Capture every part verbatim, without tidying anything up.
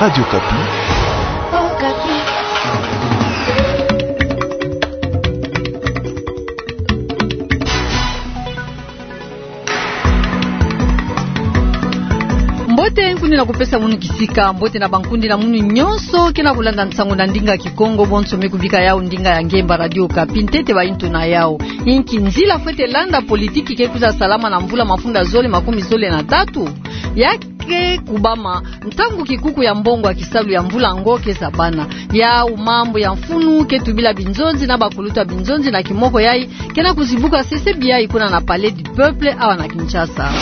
Radio Okapi. Mbote, nkundi na kupesa munu kisika. Mbote na bankundi na munu nyonso ke na kulanda nsangu na ndinga Kikongo, bonso me kubika yawu ndinga ya ngemba Radio Okapi. Ntete baintu na yawu: inki nzila fwete landa politiki ke kwiza salama na mvula mafunda zole makumi zole na tatu? Ya ke kubama ntangu kikuku ya mbongo ya kisalu ya mvula yango ke zabana. Yawu mambu ya mfunu ke tubila binzonzi na bakulutu ya binzonzi na kimoko yayi ke na kuzibuka sese biai kuna na Palais du Peuple awa na Kinshasa.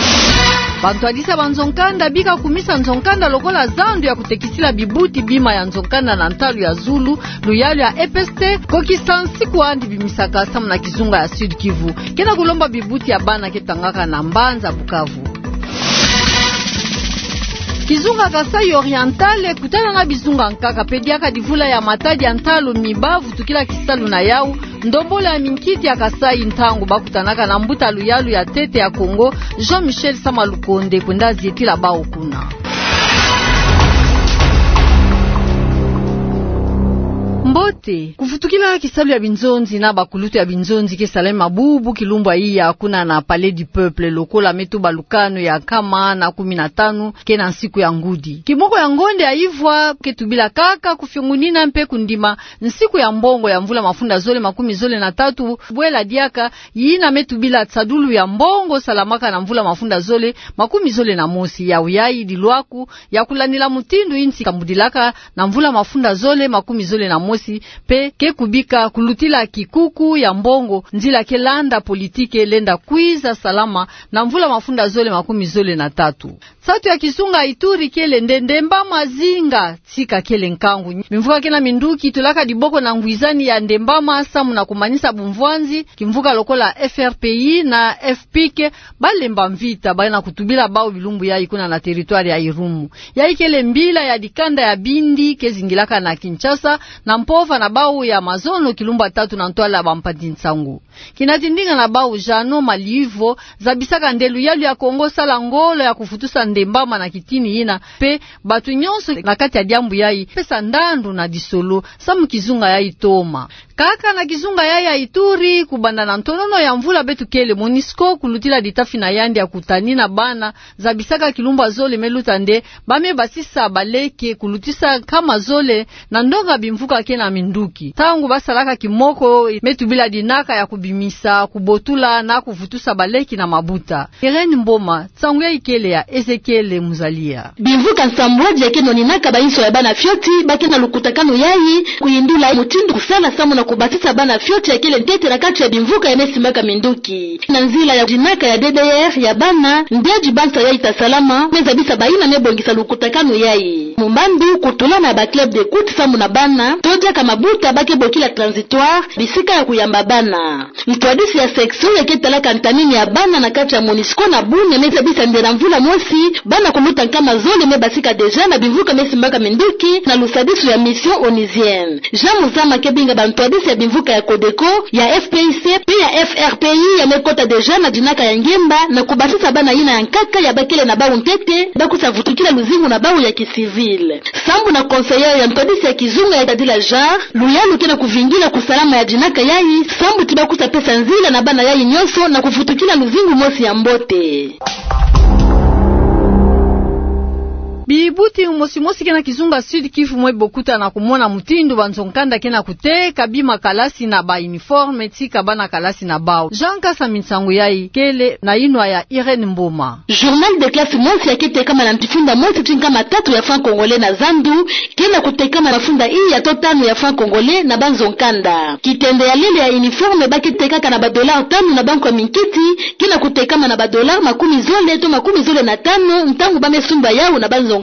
Bantwadisi ya banzo-nkanda bika kumisa nzo-nkanda lokola zandu ya kutekisila bibuti bima ya nzo-nkanda na ntalu ya zulu, luyalu ya E P S T, kokisa nsiku andi bimisaka samu na kizunga ya Sud-Kivu ke na kulomba bibuti ya bana ke tangaka na mbanza Bukavu. Kizunga Kasaï Oriental ekutana na bizunga nkaka pe diaka divula ya matadi ya ntalu mi bavutukila kisalu na yawu, ndombolo ya minkiti ya Kasaï, ntangu bakutanaka na mbuta luyalu ya ntete ya Kongo, Jean-Michel Sama Lukonde, kwenda zietila bawu kuna. Mbote. Kuvutukila kisalu ya binzonzi na bakulutu ya binzonzi ke salama bubu kilumbu ya iya kuna na Palais du Peuple, lokola me tuba lukanu ya nkama na kumi na tanu ke na nsiku ya ngudi. Kimoko ya ngonde ya ivwa ke tubila kaka kufiongunina mpe kundima nsiku ya mbongo ya mvula mafunda zole makumi zole na tatu, bwela diaka yina me tubila nsadulu ya mbongo salamaka na mvula mafunda zole makumi zole na mosi. Yawu yayi dilwaku ya kulandila mutindu insi kambudilaka na mvula mafunda zole makumi zole na mosi, pe ke kubika kulutila kikuku ya mbongo nzila ke landa politiki lenda kwiza salama na mvula mafunda zole makumi zole na tatu. Nsatu ya kizunga Ituri kele nde Ndemba Mazinga, tika kele nkangu. Bimvuka ke na minduki tulaka diboko na ngwizani ya Ndemba Ma samu na kumanisa bumvwanzi, kimvuka lokola F R P I na F P I C balemba mvita, bana kutubila bawu bilumbu yayi kuna na territoire ya Irumu. Yayi kele mbila ya dikanda ya bindi ke zingilaka na Kinshasa, na mpova na bawu ya mazono kilumbu ya tatu na ntwala ya bampanzi nsangu. Kina tindinga na bawu Jeannot Malivo zabisaka nde luyalu ya Kongo sala ngolo ya kuvutusa Ndemba Ma na kitini yina, pe bantu nyonso na kati ya diambu yayi pesa ndandu na disolo samu kizunga yayi toma. Kaka na kizunga yayi ya Ituri, kubanda na ntonono ya mvula beto kele, MONUSCO kulutila ditafi na yandi ya kutani na bana zabisaka kilumbu ya zole me luta nde ba me basisa baleke kulutisa nkama zole na ndonga bimvuka ke na minduki. Ntangu basalaka kimoko me tubila dinaka ya kubimisa, kubotula na kuvutusa baleke na mabuta. Irène Mboma, nsangu yayi kele ya Ezekiel Muzalia. Bimvuka nsambwadi ya ke noninaka bainso ya bana fioti ba ke na lukutakanu yayi, kuyindula mutindu kusala samu na kubasisa bana fioti ya kele ntete na kati ya bimvuka ya me simbaka minduki. Na nzila ya dinaka ya D D R ya bana, nde dibansa yayi ta salama, me zabisa bayina me bongisa lukutakanu yayi. Mumbambi kutula na ba club d'écoute samu na bana, to diaka mabuta ba ke bokila transitoire, bisika ya kuyamba bana. Ntwadisi ya section ya ke talaka ntamini ya bana na kati ya MONUSCO na Bunia me zabisa nde na mvula mosi, bana kuluta nkama zole me basika déjà na bimvuka me simbaka minduki na lusadisu ya mission onusienne. Jean Muzama ke binga bantwadisi ya bimvuka ya CODECO, ya F P I C, pe ya F R P I ya me kota déjà na dinaka ya ngemba na kubasisa bana yina ya nkaka ya ba kele na bawu ntete, ba kwiza vutukila luzingu na bawu ya kicivil. Sambu na conseillère ya ntwadisi ya kizunga ya Tadila Jean, luyalu ke na kuvingila kusalama ya dinaka yayi, sambu ti ba kwiza pesa nzila na bana yayi nyonso na kuvutukila luzingu mosi ya mbote. Bibuti mosi mosi ke na kizunga Sud-Kivu mwe bokuta na kumona mutindu banzo-nkanda ke na kuteka bima kalasi na ba uniforme, tika bana kalasi na bawu. Jean Kasami, nsangu yayi kele na yinwa ya Irène Mboma. Journal de classe mosi ya ke tekama na ntifunda mosi ti nkama tatu ya francs congolais na zandu, ke na kutekama na mafunda iya to tanu ya francs congolais na banzo-nkanda. Kitende ya lele ya uniforme ba ke tekaka na ba dollars tanu na bankwa minkiti, ke na kutekama na ba dollars makumi zole to makumi zole na tanu ntangu ba me sumba yawu na banzo-nkanda.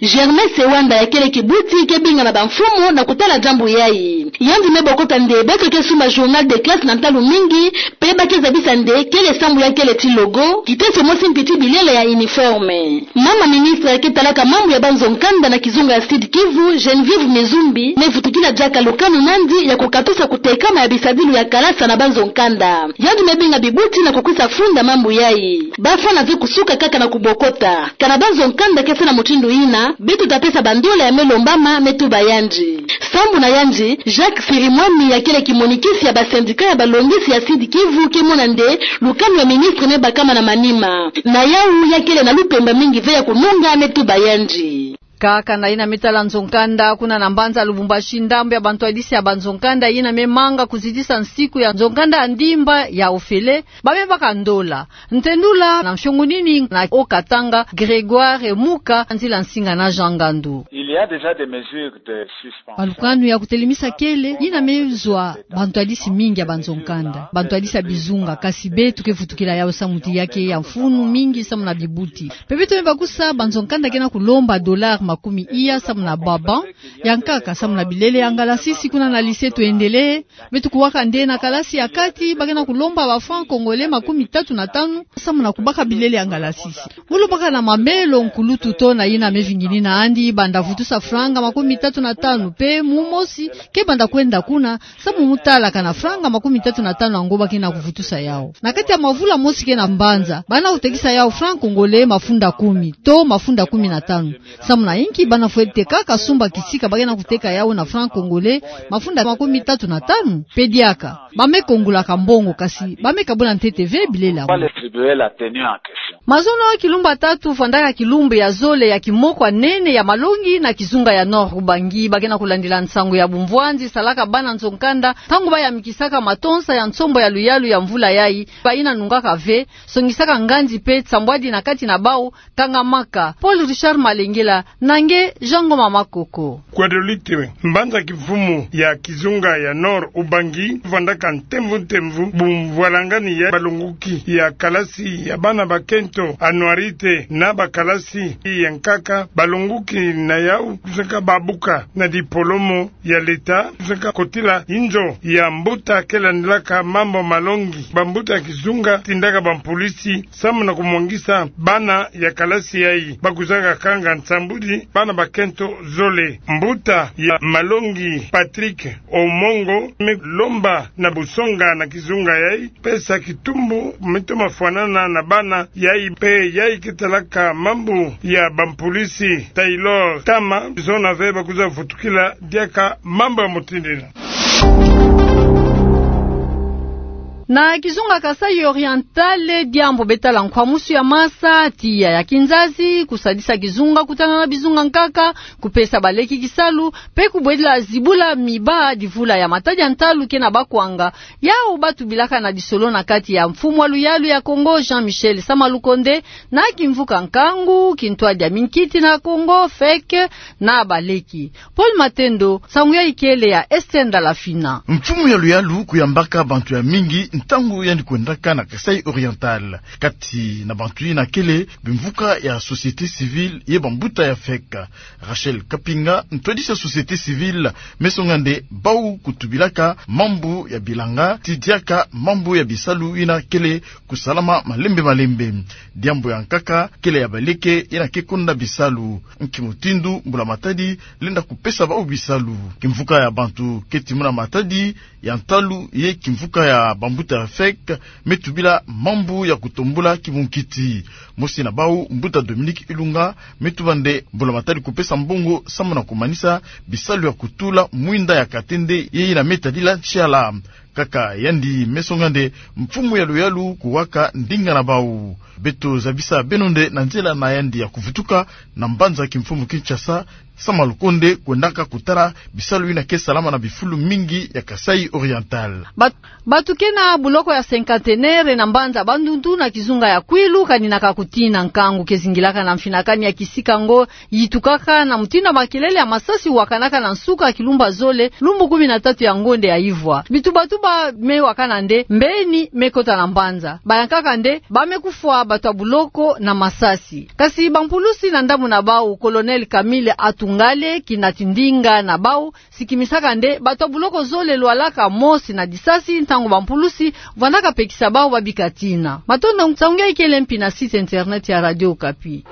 Germain Sewanda ya kele kibuti ke binga na bamfumu na kutala diambu yayi. Yandi me bokota nde beto ke sumba journal de classe na ntalu mingi, pe ba ke zabisa nde kele sambu ya kele ti logo, kiteso mosi mpi ti bilele ya uniforme. Mama ministre ya ke talaka mambu ya banzo-nkanda na kizunga ya Sud-Kivu, Geneviève Mizumbi, me vutukila diaka lukanu nandi ya kukatusa kutekama ya bisadilu ya kalasa na banzo-nkanda. Yandi me binga bibuti na kukwiza funda mambu yayi. Ba fwana zo kusuka kaka na kubokota. Kana banzo-nkanda ke Sa na mutindu yina, beto ta pesa bandola ya me lombama, me tuba yandi. Sambu na yandi, Jacques Sirimwami, ya kele kimonikisi ya basendika ya balongisi ya Sud-Kivu, ke mona nde lukanu ya ministre me bakama na manima. Na yawu, ya kele na lupemba mingi ve ya kununga, me tuba yandi. Kaka na yina me tala nzo-nkanda, kuna na mbanza Lubumbashi, ndambu ya bantwadisi ya banzo-nkanda yina me manga kuzitisa nsiku ya nzo-nkanda ya ndimba ya ofele, ba me baka ndola. Ntendula na mfiongunini na Haut-Katanga, Grégoire Muka, nzila nsinga na Jean Ngandu. Il y a déjà des mesures de suspension. Balukanu ya kutelemisa kele, yina me zwa bantwadisi mingi ya banzo-nkanda, bantwadisi ya bizunga, kasi beto ke vutukila yawu samu ti ya ke ya mfunu mingi samu na bibuti. Pe beto me bakusa banzo-nkanda ke na kulomba dollars makumi iya samu na ba bancs ya nkaka, samu na bilele ya ngalasisi kuna na lycée Tuendelee, beto kuwaka nde na kalasi ya kati, ba ke na kulomba ba francs congolais makumi tatu na tanu, samu na kubaka bilele ya ngalasisi. Mu lubaka na mamelo nkulutu to na yina me vinginina andi, banda vutusa franga makumi tatu na tanu, pe mu mosi ke banda kwenda kuna, samu mu tala kana franga makumi tatu na tanu yango ba ke na kuvutusa yawu. Na kati ya mavula mosi ke na mbanza, bana kutekisa yawu francs congolais mafunda kumi, to mafunda kumi na tanu. Samu na inki bana fwete kaka sumba kisika ba ke na kuteka yawu na francs congolais mafunda makumi tatu na tanu? Pe diaka. Ba me kongulaka mbongo, kasi ba me kabula ntete ve bilele yango. Mazono kilumbu ya tatu vwandaka kilumbu ya zole ya kimoko ya nene ya malongi na kizunga ya Nord-Ubangi. Ba ke na kulandila nsangu ya bumvwanzi salaka bana nzo-nkanda, ntangu ba yamikisaka matonsa ya nsombo ya luyalu ya mvula yayi, ba yina nungaka ve, songisaka nganzi pe nsambwadi na kati na bawu, kangamaka. Paul Richard Malengela, na nge Jean Ngoma Makoko. Guadeloupe, mbanza kimfumu ya kizunga ya Nord-Ubangi, vwandaka ntemvu ntemvu bumvwalangani ya balonguki ya kalasi ya bana bakento, anuarite, na bakalasi ya nkaka, balonguki na yawu, tusaka babuka na dipolomo ya leta, tusaka kotila inzo ya mbuta ke landilaka mambu malongi. Bambuta ya kizunga tindaka bampulisi samu na kumwangisa bana ya kalasi yayi. Ba kwizaka kanga nsambwadi bana bakento zole. Mbuta ya malongi Patrick Omongo me lomba na busonga na kizunga yayi pesa kitumbu me toma fwanana na bana yayi, pe yayi ke talaka mambu ya bampulisi Taylor Tama, zona ve ba kwiza vutukila diaka mambu ya mutindu yina. Na kizunga Kasaï Oriental, diambu be tala nkwamusu ya masa, tiya ya kinzazi, kusadisa kizunga kutana na bizunga nkaka, kupesa baleki kisalu, pe kubwedila zibula miba divula ya matadi ya ntalu ke na bakwanga, yawu ba tubilaka na lisolo na kati ya mfumu ya luyalu ya Kongo, Jean-Michel Sama Lukonde, na kimvuka nkangu, kintwadi ya minkiti na Kongo, fek, na baleki. Paul Matendo, nsangu yayi kele ya Esther Ndalafina. Mfumu ya luyalu kuyambaka bantu ya mingi ntangu yandi kwendaka na Kasaï Oriental. Kati na bantu yina kele bimvuka ya société civile ye bambuta ya fek. Rachel Kapinga, ntwadisi ya société civile, me songa nde bawu kutubilaka mambu ya bilanga, ti diaka mambu ya bisalu yina kele kusalama malembe malembe. Diambu ya nkaka kele ya baleke yina ke konda bisalu. Nki mutindu mbula matadi lenda kupesa bawu bisalu? Kimvuka ya bantu keti muna matadi ya ntalu ye kimvuka ya bambuta ya fek me tubila mambu ya kutombula kibunkiti. Mosi na bawu, mbuta Dominique Ilunga, me tuba nde mbula matadi kupesa mbongo samu na kumanisa bisalu ya kutula mwinda ya katende ye yina me tadila ntiala. Kaka yandi me songa nde mfumu ya luyalu kuwaka ndinga na bawu. Beto zabisa beno nde na nzela na yandi ya kuvutuka na mbanza kimfumu Kinshasa, Sama Lukonde kwendaka kutala bisalu yina ke salama na bifulu mingi ya Kasaï Oriental. Bat-, batu ke na buloko ya Cinquantenaire na mbanza Bandundu na kizunga ya Kwilu kaninaka kutina. Nkangu ke zingilaka na mfinakani ya kisika ngo yitukaka na mutindu ya makelele ya masasi wakanaka na nsuka ya kilumbu ya zole, lumbu kumi na tatu ya ngonde ya ivwa. Bitubatuba me wakana nde mbeni me kota na mbanza. Bayankaka nde ba me kufwa batu ya buloko na masasi. Kasi bampulusi na ndambu na bawu, Colonel Camille Atungale, kinati ndinga na bawu, sikimisaka nde batu ya buloko zole lwalaka mosi na disasi ntangu bampulusi vandaka pekisa bawu babika tina. Matondo. Nsangu yayi kele mpi na site internet ya Radio Okapi.